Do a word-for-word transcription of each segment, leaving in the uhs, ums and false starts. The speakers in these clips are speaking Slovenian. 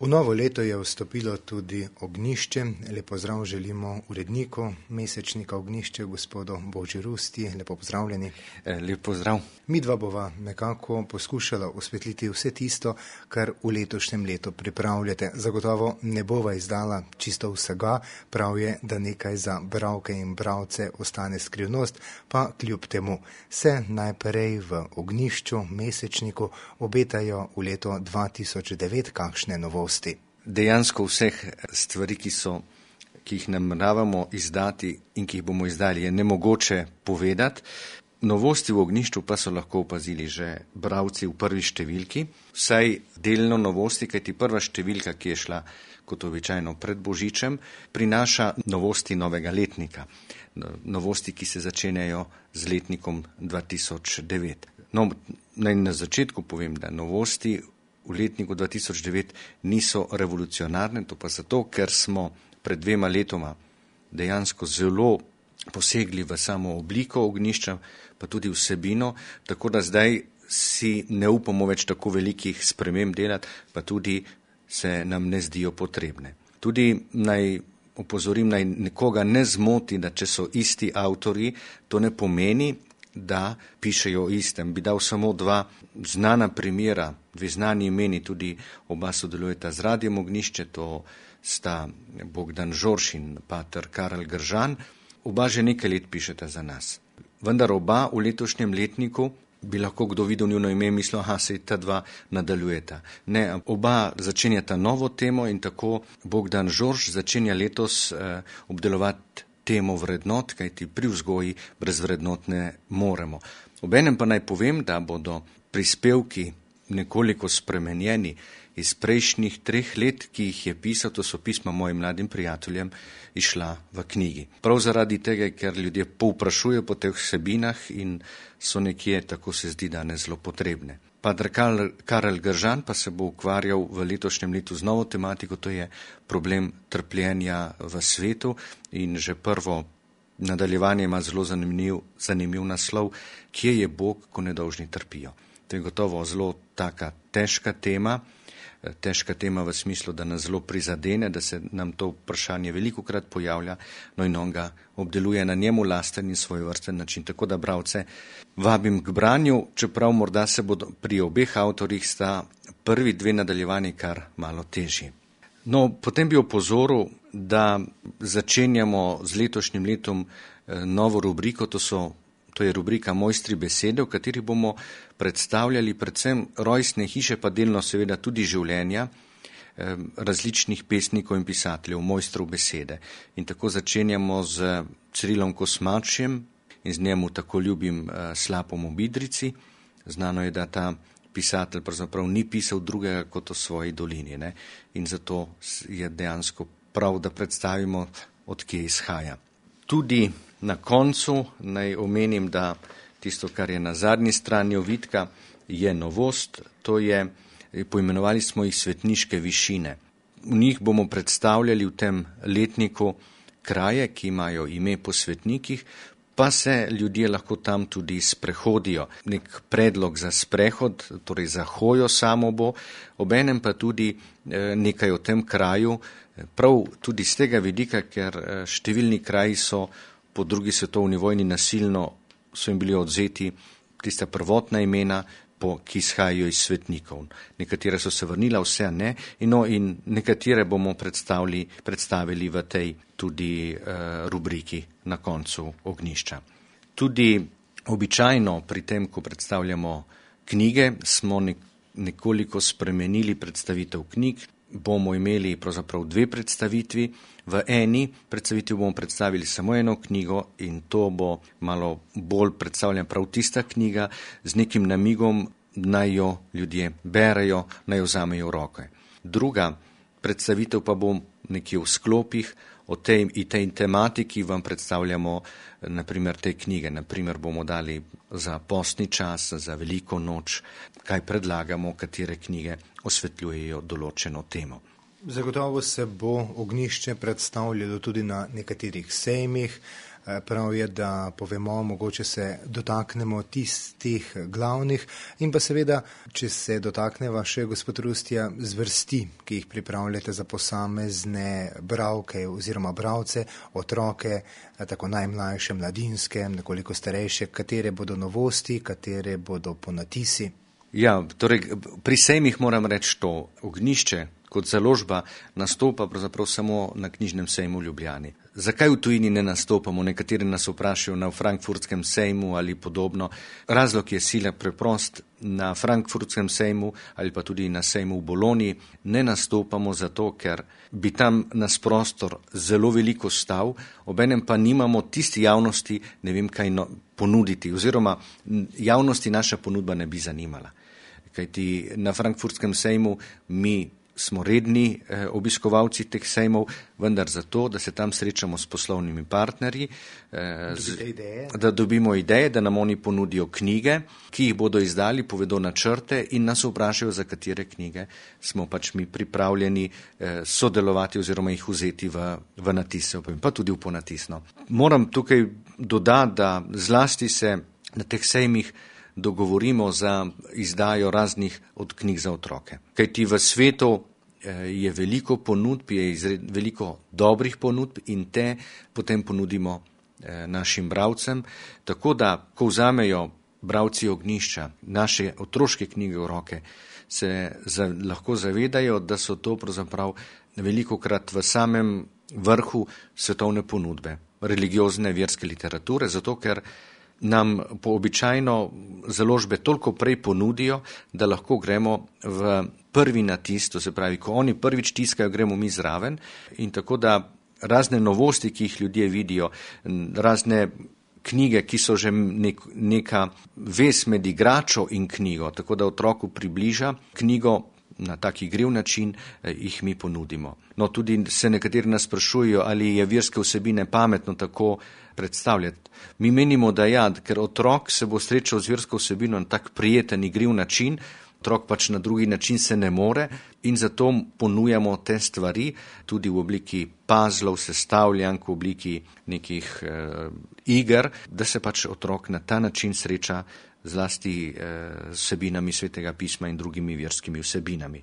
V novo leto je vstopilo tudi Ognjišče. Lep pozdrav želimo uredniku mesečnika Ognjišče, gospodu Boži Rusti. Lepo pozdravljeni. Lep pozdrav. Midva bova nekako poskušala osvetliti vse tisto, kar v letošnjem letu pripravljate. Zagotovo ne bova izdala čisto vsega, prav je, da nekaj za bralke in bralce ostane skrivnost, pa kljub temu se najprej v Ognjišču, mesečniku, obetajo v leto dva tisoč devet kakšne novosti. Dejansko vseh stvari, ki so, ki jih nameravamo izdati in ki jih bomo izdali, je nemogoče povedati. Novosti v Ognjišču pa so lahko opazili že bralci v prvi številki, vsaj delno novosti, kajti prva številka, ki je šla kot običajno pred Božičem, prinaša novosti novega letnika. Novosti, ki se začenjajo z letnikom dva tisoč devet. No, naj na začetku povem, da novosti v letniku dva tisoč devet niso revolucionarne, to pa zato, ker smo pred dvema letoma dejansko zelo posegli v samo obliko Ognjišča, pa tudi vsebino, tako da zdaj si ne upamo več tako velikih sprememb delati, pa tudi se nam ne zdijo potrebne. Tudi naj opozorim, naj nekoga ne zmoti, da če so isti avtorji, to ne pomeni, da pišejo o istem. Bi dal samo dva znana primera, dve znani imeni, tudi oba sodelujeta z Radiem Ognjišče, to sta Bogdan Žorž in pater Karel Gržan. Oba že nekaj let pišeta za nas. Vendar oba v letošnjem letniku bi lahko kdo videl njuno ime in mislil, aha, se ta dva nadaljujeta. Ne, oba začenjata novo temo in tako Bogdan Žorž začenja letos eh, obdelovati temo vrednot, kajti pri vzgoji brez vrednot ne moremo. Obenem pa naj povem, da bodo prispevki nekoliko spremenjeni iz prejšnjih treh let, ki jih je pisal, to so pisma mojim mladim prijateljem, išla v knjigi. Prav zaradi tega, ker ljudje povprašujejo po teh vsebinah in so nekje, tako se zdi, danes zelo potrebne. Pater Karel Gržan pa se bo ukvarjal v letošnjem letu z novo tematiko, to je problem trpljenja v svetu in že prvo nadaljevanje ima zelo zanimiv, zanimiv naslov, kje je Bog, ko nedolžni trpijo. To je gotovo zelo taka težka tema, težka tema v smislu, da nas zelo prizadene, da se nam to vprašanje velikokrat pojavlja, no in on ga obdeluje na njemu lasten in svojevrsten način. Tako da bralce vabim k branju, čeprav morda se bodo pri obeh avtorjih sta prvi dve nadaljevanji kar malo težji. No, potem bi opozoril, da začenjamo z letošnjim letom novo rubriko, to so To je rubrika Mojstri besede, v kateri bomo predstavljali predvsem rojstne hiše, pa delno seveda tudi življenja eh, različnih pesnikov in pisateljev, mojstrov besede. In tako začenjamo z Cirilom Kosmačjem in z njemu tako ljubim eh, Slapom v Bidrici. Znano je, da ta pisatelj pravzaprav ni pisal drugega kot o svoji dolini, ne? In zato je dejansko prav, da predstavimo, od kje izhaja. Tudi na koncu naj omenim, da tisto, kar je na zadnji strani ovitka, je novost, to je, poimenovali smo jih svetniške višine. V njih bomo predstavljali v tem letniku kraje, ki imajo ime po svetnikih, pa se ljudje lahko tam tudi sprehodijo. Nek predlog za sprehod, torej za hojo samo bo, obenem pa tudi nekaj o tem kraju, prav tudi z tega vidika, ker številni kraji so po drugi svetovni vojni nasilno so jim bili odzeti tista prvotna imena, po, ki izhajajo iz svetnikov. Nekatere so se vrnila, vse ne, in, no, in nekatere bomo predstavili, predstavili v tej tudi uh, rubriki na koncu Ognjišča. Tudi običajno pri tem, ko predstavljamo knjige, smo nek, nekoliko spremenili predstavitev knjig. Bomo imeli pravzaprav dve predstavitvi. V eni predstavitvi bomo predstavili samo eno knjigo in to bo malo bolj predstavljena prav tista knjiga z nekim namigom, naj jo ljudje berejo, naj jo vzamejo v roke. Druga predstavitev pa bo nekje v sklopih, o tej, tej tematiki vam predstavljamo naprimer te knjige. Naprimer bomo dali za postni čas, za veliko noč, kaj predlagamo, katere knjige osvetljujejo določeno temo. Zagotovo se bo ognjišče predstavljalo tudi na nekaterih sejmih. Prav je, da povemo, mogoče se dotaknemo tistih glavnih in pa seveda, če se dotakneva še gospod Rustja, zvrsti, ki jih pripravljate za posamezne bralke oziroma bralce, otroke, tako najmlajše, mladinske, nekoliko starejše, katere bodo novosti, katere bodo ponatisi. Ja, torej pri sejmih moram reči to, ognjišče kot založba nastopa pravzaprav samo na knjižnem sejmu v Ljubljani. Zakaj v tujini ne nastopamo? Nekateri nas vprašajo na Frankfurtskem sejmu ali podobno. Razlog je sila preprost. Na Frankfurtskem sejmu ali pa tudi na sejmu v Bologni ne nastopamo zato, ker bi tam nas prostor zelo veliko stal, obenem pa nimamo tisti javnosti, ne vem kaj no, ponuditi, oziroma javnosti naša ponudba ne bi zanimala. Kajti na Frankfurtskem sejmu mi smo redni eh, obiskovalci teh sejmov, vendar zato, da se tam srečamo s poslovnimi partnerji, eh, z, da dobimo ideje, da nam oni ponudijo knjige, ki jih bodo izdali, povedo načrte in nas vprašajo, za katere knjige smo pač mi pripravljeni eh, sodelovati oziroma jih vzeti v, v natise, pa tudi v ponatisno. Moram tukaj dodati, da zlasti se na teh sejmih dogovorimo za izdajo raznih od knjig za otroke. Kajti v svetu je veliko ponudb, je izred, veliko dobrih ponudb in te potem ponudimo našim bralcem, tako da, ko vzamejo bralci ognjišča naše otroške knjige v roke, se za, lahko zavedajo, da so to pravzaprav velikokrat v samem vrhu svetovne ponudbe, religiozne verske literature, zato ker nam po običajno založbe toliko prej ponudijo, da lahko gremo v prvi natis, to se pravi, ko oni prvič tiskajo, gremo mi zraven in tako da razne novosti, ki jih ljudje vidijo, razne knjige, ki so že nek, neka vez med igračo in knjigo, tako da otroku približa knjigo na tak igriv način, eh, jih mi ponudimo. No, tudi se nekateri nas sprašujejo, ali je verske vsebine pametno tako predstavljati. Mi menimo, da ja, ker otrok se bo srečal z versko vsebino na tak prijeten, igriv način, otrok pač na drugi način se ne more in zato ponujamo te stvari tudi v obliki puzzlov, sestavljank, v obliki nekih eh, iger, da se pač otrok na ta način sreča zlasti eh, vsebinami Svetega pisma in drugimi verskimi vsebinami.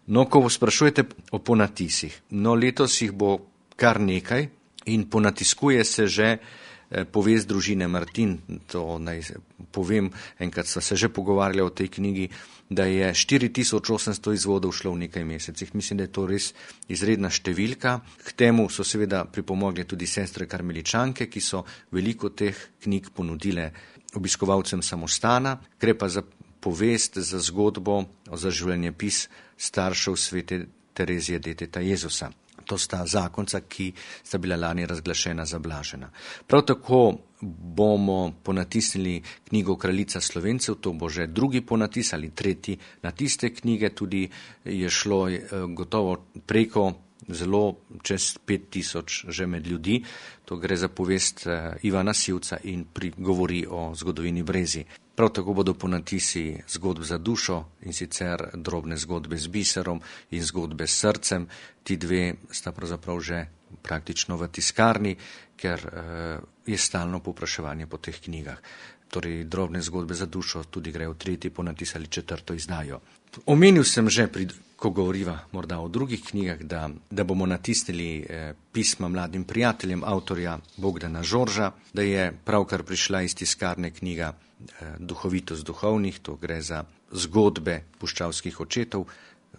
No, ko sprašujete o ponatisih, no letos jih bo kar nekaj in ponatiskuje se že eh, povest družine Martin, to naj povem, enkrat sva se že pogovarjala o tej knjigi, da je štiri tisoč osemsto izvodov šlo v nekaj mesecih. Mislim, da je to res izredna številka. K temu so seveda pripomogle tudi sestre karmeličanke, ki so veliko teh knjig ponudile obiskovalcem samostana, gre pa za povest, za zgodbo, za življenjepis staršev svete Terezije deteta Jezusa. To sta zakonca, ki sta bila lani razglašena za blažena. Prav tako bomo ponatisnili knjigo Kraljica Slovencev, to bo že drugi ponatis ali tretji natis te knjige, tudi je šlo gotovo preko zelo čez pet tisoč že med ljudi. To gre za povest Ivana Sivca in govori o zgodovini Brezij. Prav tako bodo ponatisi zgodb za dušo in sicer drobne zgodbe z biserom in zgodbe s srcem. Ti dve sta pravzaprav že praktično v tiskarni, ker je stalno povpraševanje po teh knjigah. Torej drobne zgodbe za dušo tudi grejo v tretji ponatis ali četrto izdajo. Omenil sem že, pri, ko govoriva morda o drugih knjigah, da, da bomo natisnili eh, pisma mladim prijateljem avtorja Bogdana Žorža, da je pravkar prišla iz tiskarne knjiga eh, Duhovitost duhovnih, to gre za zgodbe puščavskih očetov.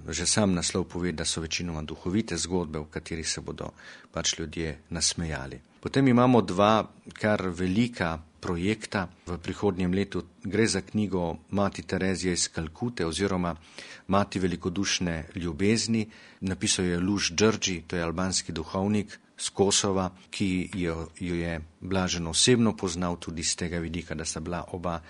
Že sam naslov pove, da so večinoma duhovite zgodbe, v katerih se bodo pač ljudje nasmejali. Potem imamo dva kar velika projekta v prihodnjem letu. Gre za knjigo Mati Terezije iz Kalkute oziroma Mati velikodušne ljubezni. Napisal je Luž Đrđi, to je albanski duhovnik z Kosova, ki jo, jo je blaženo osebno poznal tudi z tega vidika, da sta bila oba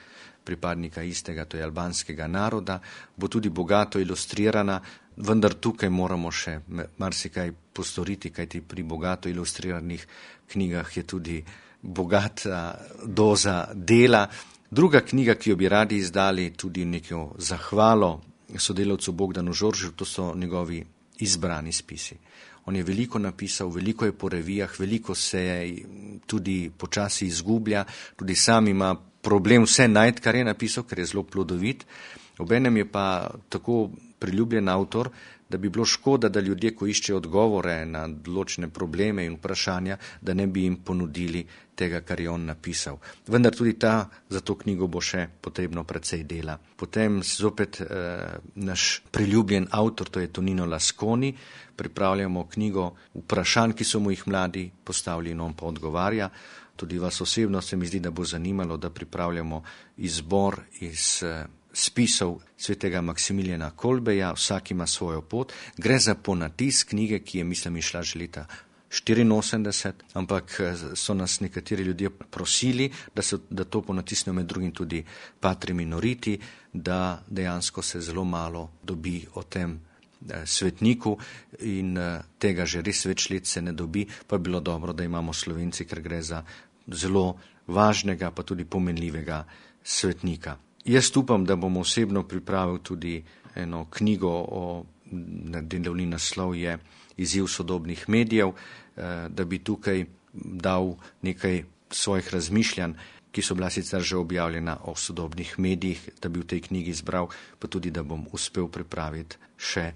pripadnika istega, to je albanskega naroda, bo tudi bogato ilustrirana, vendar tukaj moramo še marsikaj postoriti, kajti pri bogato ilustriranih knjigah je tudi bogata doza dela. Druga knjiga, ki jo bi radi izdali, tudi neko zahvalo sodelavcu Bogdanu Žoržu, to so njegovi izbrani spisi. On je veliko napisal, veliko je po revijah, veliko se tudi počasi izgublja, tudi sam ima problem vse najti, kar je napisal, ker je zelo plodovit. Obenem je pa tako priljubljen avtor, da bi bilo škoda, da ljudje, ko iščejo odgovore na določene probleme in vprašanja, da ne bi jim ponudili tega, kar je on napisal. Vendar tudi ta, za to knjigo bo še potrebno precej dela. Potem zopet eh, naš priljubljen avtor, to je Tonino Lasconi, pripravljamo knjigo vprašanj, ki so mu jih mladi postavili in on pa odgovarja. Tudi vas osebno se mi zdi, da bo zanimalo, da pripravljamo izbor iz eh, spisov svetega Maksimilijana Kolbeja, vsak ima svojo pot. Gre za ponatis knjige, ki je, mislim, išla že leta štiriinosemdeset, ampak so nas nekateri ljudje prosili, da, so, da to ponatisnejo med drugim tudi Patri Minoriti, da dejansko se zelo malo dobi o tem eh, svetniku in eh, tega že res več let se ne dobi, pa je bilo dobro, da imamo Slovenci, ker gre za zelo važnega, pa tudi pomenljivega svetnika. Jaz upam, da bom osebno pripravil tudi eno knjigo, o, delovni naslov je Izziv sodobnih medijev, da bi tukaj dal nekaj svojih razmišljanj, ki so bila sicer že objavljena o sodobnih medijih, da bi v tej knjigi izbral, pa tudi, da bom uspel pripraviti še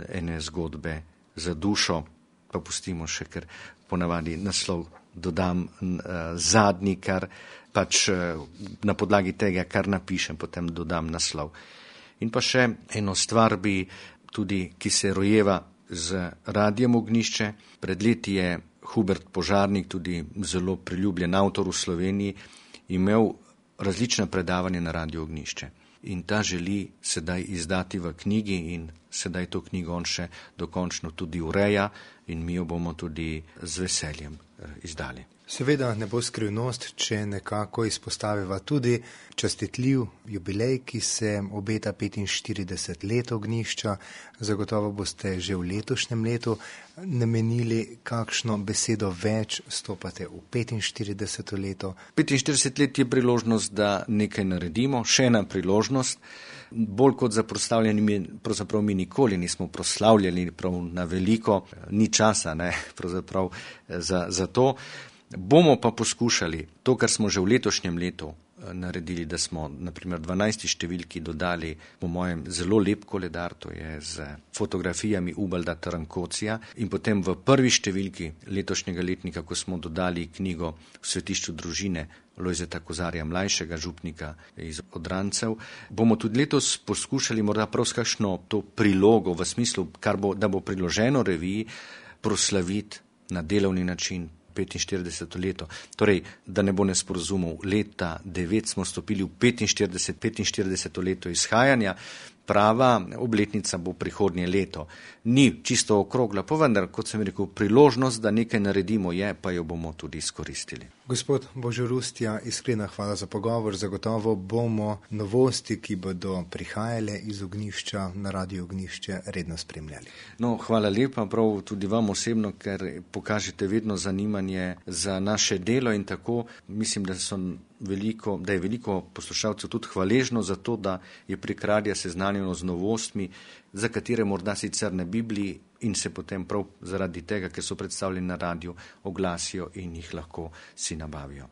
ene zgodbe za dušo, pa pustimo še, ker ponavadi naslov dodam uh, zadnji, kar pač uh, na podlagi tega, kar napišem, potem dodam naslov. In pa še eno stvar bi tudi, ki se rojeva z Radijem Ognjišče. Pred leti je Hubert Požarnik, tudi zelo priljubljen avtor v Sloveniji, imel različna predavanja na Radiju Ognjišče. In ta želi sedaj izdati v knjigi in sedaj to knjigo on še dokončno tudi ureja in mi jo bomo tudi z veseljem izdali. Seveda ne bo skrivnost, če nekako izpostaviva tudi častitljiv jubilej, ki se obeta petinštirideset let Ognjišča. Zagotovo boste že v letošnjem letu namenili kakšno besedo več, stopate v petinštirideseto leto. petinštirideset let je priložnost, da nekaj naredimo, še ena priložnost. Bolj kot za proslavljanje, pravzaprav mi nikoli nismo proslavljali prav na veliko, ni časa, ne, pravzaprav za, za to. Bomo pa poskušali to, kar smo že v letošnjem letu naredili, da smo naprimer dvanajsti številki dodali, po mojem, zelo lep koledar, to je z fotografijami Ubalda Trankocija, in potem v prvi številki letošnjega letnika, ko smo dodali knjigo V svetišču družine Lojzeta Kozarja mlajšega, župnika iz Odrancev, bomo tudi letos poskušali morda prav s kakšno to prilogo v smislu, kar bo, da bo priloženo reviji, proslaviti na delovni način petinštirideseto leto. Torej, da ne bo nesporazumov, leta devet smo stopili v petinštirideset, petinštirideseto leto izhajanja, prava obletnica bo prihodnje leto. Ni čisto okrogla, pa vendar, kot sem rekel, priložnost, da nekaj naredimo je, pa jo bomo tudi izkoristili. Gospod Božo Rustja, iskrena hvala za pogovor. Zagotovo bomo novosti, ki bodo prihajale iz Ognjišča na Radio Ognjišče, redno spremljali. No, hvala lepa, prav tudi vam osebno, ker pokažete vedno zanimanje za naše delo in tako mislim, da so veliko, da je veliko poslušalcev tudi hvaležno za to, da je prek radia seznanjeno z novostmi, za katere morda sicer ne bi bili in se potem prav zaradi tega, ker so predstavljeni na radiju, oglasijo in jih lahko si nabavijo.